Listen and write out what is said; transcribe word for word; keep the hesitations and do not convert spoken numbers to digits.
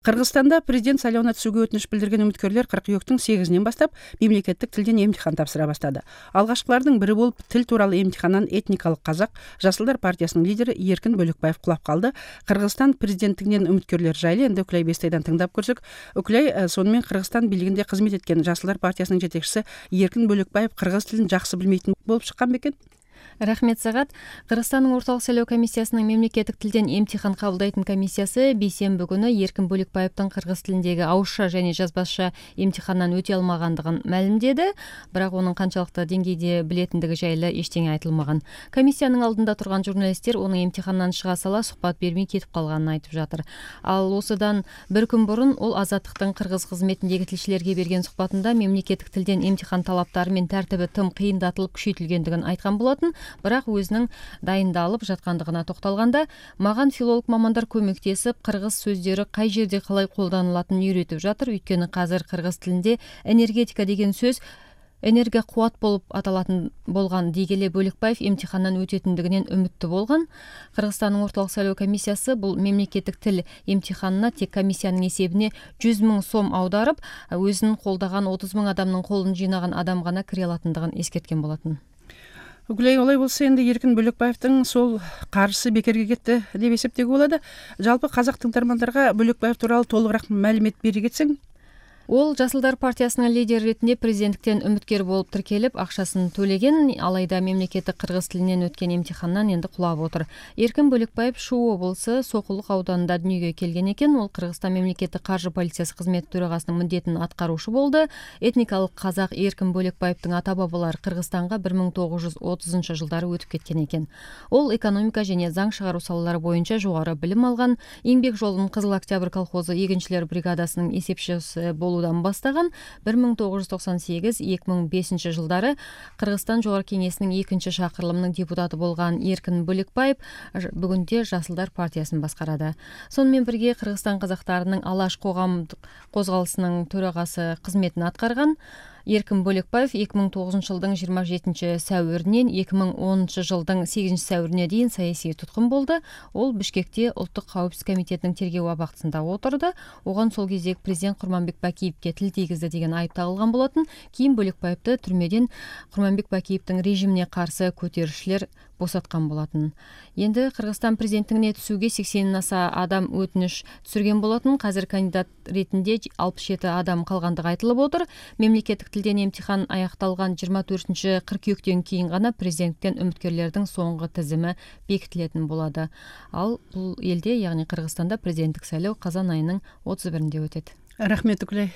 Кыргызстанда президент шайлооуна түшүүгө өтүнүч билдирген үмүткөрлөр кыркүйөктүн сегизинен баштап мемлекеттик тилден эмтихан тапшыра баштады. Алгачкылардын бири болуп тил тууралуу эмтихандан этникалык казак Жашылдар партиясынын лидери Эркин Бөлөкбаев кулап калды. Кыргызстан президенттигинен үмүткөрлөр жайлы энди Үкүлай Бестайдан тыңдап көрсөк. Үкүлай, сонун менен Кыргызстан бийлигинде кызмет эткен Жашылдар партиясынын жетекчиси Эркин Бөлөкбаев кыргыз тилин жакшы билмейтин болуп чыккан бекен? Рахмет Сагат. Кыргызстандын ортолук шайлоо комиссиясынын мемлекеттик тилден эмтихан кабылдайтын комиссиясы бейсенби күнү Эркин Бөлөкбаевдин кыргыз тилиндеги ауызча және жазбаша эмтихандан өтө алмагандыгын маалимдеди, бирок анын канчалык деңгейде билетиндиги жайлы эчтене айтылмаган. Комиссиянын алдында турган журналисттер анын эмтихандан чыга сала сухбат бермей кетип калганын айтып жатыр. Ал осудан бир күн бурун ол Азаттыктын кыргыз кызметиндеги тилчилерге берген сухбатында мемлекеттик тилден эмтихан талаптары мен тартиби тым кыйындатылып күчөйтүлгөндүгүн айткан болотун. Бирок өзүнүн дайындалып жаткандыгына токтолганда, маган филолог мамандар көмөктесип, кыргыз сөздөрү кай жерде калай колдонулатынын үйрөтүп жатыр. Өйткөнү казыр кыргыз тилинде энергетика деген сөз энергия кубат болуп аталатын болгон дегеле Бөлөкбаев эмтихандан өтөтүндүгүнөн үмүттүү болгон. Кыргызстандын ортолук шайлоо комиссиясы бул мемлекеттик тил эмтиханына тек комиссиянын эсебине жүз миң сом аударып, өзүнүн колдогон отуз миң адамдын колун жыйнаган адам гана кире алатындыгын эскерткен болотун. Үкүлай, олай болсо энди Эркин Бөлөкбаевдин сол каржысы бекерге кетти деп эсептөөгө болот. Жалпы казак тыңдармандарга Бөлөкбаев тууралуу толугураак маалимет бере кетсең. Ол Жашылдар партиясынын лидери ретинде президенттиктен үмүткөр болуп тиркелип, акчасын төлеген, алайда мемлекеттик кыргыз тилинен өткөн эмтихандан энди кулап отур. Эркин Бөлөкбаев Шу облусу Сокулук ауданында дүнүйгө келген экен. Ол Кыргызстан мемлекеттик каржы полициясы кызмети төрагасынын мындетин аткаруучу болду. Этникалык казак Эркин Бөлөкбаевдин ата-бабалары Кыргызстанга бир миң тогуз жүз отузунчу жылдары өтүп кеткен экен. Ол экономика және заң чыгаруу салалары боюнча жогору билим алган. Эмгек жолунун Кызыл Октябрь колхозу эгинчилер бригадасынын эсепчиси болуп бастаган. бир миң тогуз жүз токсон сегиз эки миң бешинчи жылдары Кыргызстан Жогорку Кеңесинин экинчи шакырылымынын депутаты болгон Эркин Бөлөкбаев бүгүндө Жашылдар партиясын башкарады. Сонун менен бирге Кыргызстан казактарынын Алаш коомдук козголусунун төрагасы кызметин аткарган. Эркин Бөлөкбаев эки миң тогузунчу жылдын жыйырма жетинчи сәуүрүнөн эки миң онунчу жылдын сегизинчи сәуүрүнө чейин саясий туткун болду. Ол Бишкекте Улуттук кауіпсиздик комитетинин тергөө абактысында отурду. Огон сол кездеги президент Курманбек Бакиевге тил тийгизди деген айып тагылган болотун. Кийин Бөлөкбаевди түрмөдөн Курманбек Бакиевдин режимине каршы көтөрүшчүлөр босаткан болотун. Энди Кыргызстан президенттигине түсүүгө сексенден аса адам өтүнүш түсүргөн болотун. Казыр кандидат ретинде алпыш жети адам калгандыгы айтылып отур. Мемлекеттик тилден эмтихан аякталган жыйырма төртүнчү кыркүйөктөн кийин гана президенттиктен үмүткөрлөрдүн соңку тизими бекитилетін болду. Ал бул элде, яғни Кыргызстанда президенттик шайлоо казан айынын отуз биринде өтөт. Рахмет, Үкүлай.